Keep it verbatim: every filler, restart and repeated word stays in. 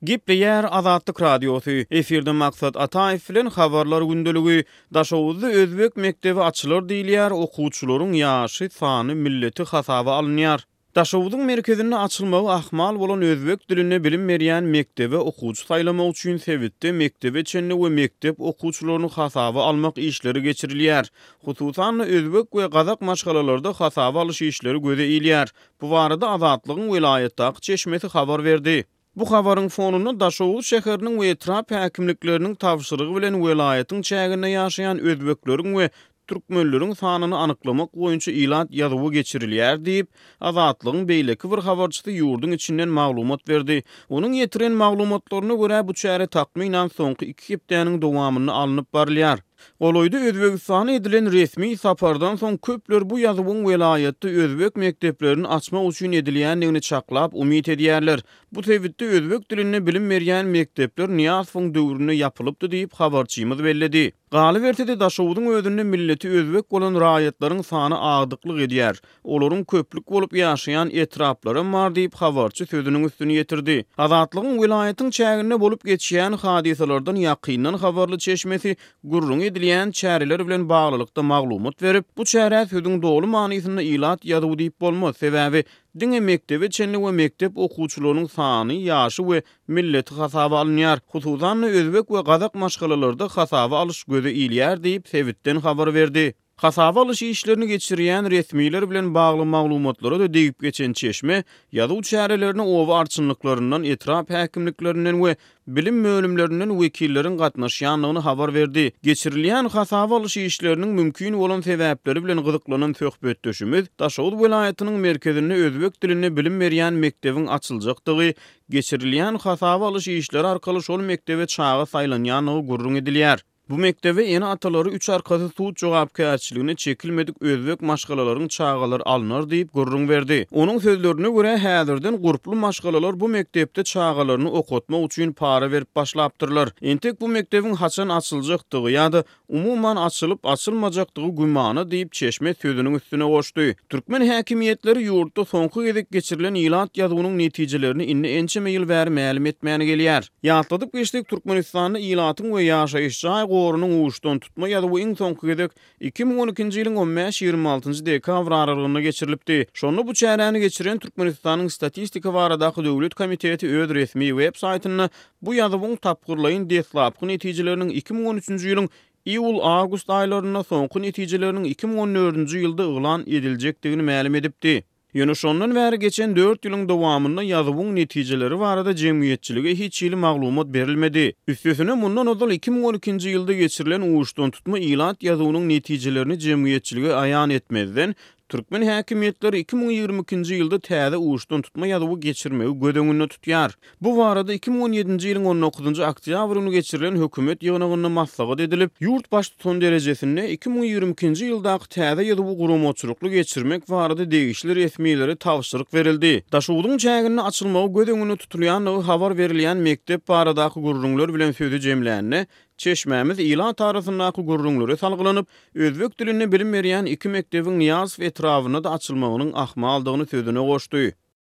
Gepleýär Azatlyk Radiosy, efirde Maksat Ataýew bilen Habarlar gündeligi. Daşoguzda özbek mekdebi açylar diýilýär, okuwçylaryň ýaşy, sany, milleti hasaba alynýar. Daşoguzyň merkezinde açylmagy ahmal bolan özbek dilinde bilim berýän mekdebe okuwçy saýlamak üçin sebitde mekdebe çenli we mekdep okuwçylaryny hasaba almak işleri geçirilýär. Hususan-da, özbek we gazak maşgalalarda hasaba alyş işleri göze ilýär. Bu barada Azatlygyň welaýatdaky çeşmesi habar berdi. Bu habaryň fonunda Daşoguz şäheriniň we etrap häkimlikleriniň tabşyrygy bilen welaýatyň çäginde ýaşaýan özbekleriň we türkmenleriň sanyny anyklamak boýunça ilat ýazuwy geçirilýär diýip, Azatlygyň beýleki bir habarçysy ýurduň içinden maglumat berdi. Onuň ýetiren maglumatlaryna görä, bu çäre takmynan soňky iki hepdäniň dowamynda alnyp barylýar. Golaýda Özbegistana edilen resmi sapardan soň köpler bu ýazuwyň welaýatda özbek mekdeplerini açmak üçin edilýändigini çaklap, umyt edýärler. Bu sebitde özbek dilinde bilim berýän mekdepler Nyýazowyň döwründe ýapylypdy diýip, habarçymyz belledi. Galyberse-de, Daşoguzyň özünde milleti özbek bolan raýatlaryň sany agdyklyk edýär. Olaryň köplük bolup ýaşaýan etraplaram bar diýip, habarçy sözüniň üstüni ýetirdi. Azatlygyň welaýatyň çäginde bolup geçýän hadysalardan ýakyndan habarly çeşmesi gürrüňi edilýän çäreler bilen baglylykda maglumat berip, bu çärä sözüň doly manysynda ilat ýazuwy diýip bolmaz, sebäbi diňe mekdebe çenli we mekdep okuwçylarynyň sany, ýaşy we milleti hasaba alynýar. Hususan-da, özbek we gazak maşgalalarda hasaba alyş göze ilýär diýip, sebitden habar berdi. Hasaba alyş işlerini geçirýän resmiler bilen bagly maglumatlara-da degip geçen çeşme, ýazuw çärelerine oba arçynlyklaryndan, etrap häkimliklerinden we bilim bölümlerinden wekilleriň gatnaşýandygyny habar berdi. Geçirilýän hasaba alyş işleriniň mümkin bolan sebäpleri bilen gyzyklanan söhbetdeşimiz Daşoguz welaýatynyň merkezinde özbek dilinde bilim berýän mekdebiň açyljakdygy, geçirilýän hasaba alyş işleri arkaly şol mekdebe çaga saýlanýandygy gürrüň edilýär. Bu mekdebe ene-atalary üç arkasy sud jogapkärçiligine çekilmedik özbek maşgalalaryň çagalary alnar diýip gürrüň berdi. Onuň sözlerine görä, häzirden gurply maşgalalar bu mekdepde çagalaryny okatmak üçin para berip başlapdyrlar. Entek bu mekdebiň haçan açyljakdygy ýa-da umuman açylyp-açylmajakdygy gümana diýip, çeşme sözüniň üstüne goşdy. Türkmen häkimiýetleri ýurtda soňky gezek geçirilen ilat ýazuwynyň netijelerini indi ençeme ýyl bäri mälim etmän gelýär. Ýatladyp geçsek, Türkmenistanda ilatyň we ýaşaýyş jaý gorunyň uçdan tutma ýazuwy iň soňky gezek iki müň on ikinji ýylyň on bäş-ýigrimi altynjy dekabr aralygynda geçirilipdi. Şonda bu çäräni geçiren Türkmenistanyň Statistika baradaky döwlet komiteti öz resmi web saýtynda bu ýazuwyň tapgyrlaýyn deslapky netijeleriniň iki müň on üçünji ýylyň iýul-awgust aýlarynda, soňky netijeleriniň iki müň on dördünji ýylda yglan ediljekdigini mälim edipdi. Ýöne şondan bäri geçen dört ýylyň dowamynda ýazuwyň netijeleri barada jemgyýetçilige hiç hili maglumat berilmedi. Üstesine, mundan ozal iki müň on ikinji ýylda geçirilen uçdan tutma ilat ýazuwynyň netijelerini jemgyýetçilige aýan etmezden, türkmen häkimiýetleri iki müň ýigrimi ikinji ýylda täze uçdan tutma ýazuwy geçirmegi göz öňünde tutýar. Bu barada iki müň on ýedinji ýylyň on dokuzynjy oktýabr güni geçirilen hökümet ýygnagynda maslahat edilip, ýurt baştutany derejesinde iki müň ýigrimi ikinji ýyldaky täze ýazuwy guramaçylykly geçirmek barada degişli resmilere tabşyryk berildi. Daşoguzyň çäginde açylmagy göz öňünde tutulýandygy habar berilýän mekdep baradaky gürrüňler bilen sözi jemlände, çeşmämiz ilat arasyndaky gürrüňlere salgylanyp, özbek dilinde bilim berýän iki mekdebiň Nyýazow etrabynda-da açylmagynyň ahmaldygyny sözüne goşdy.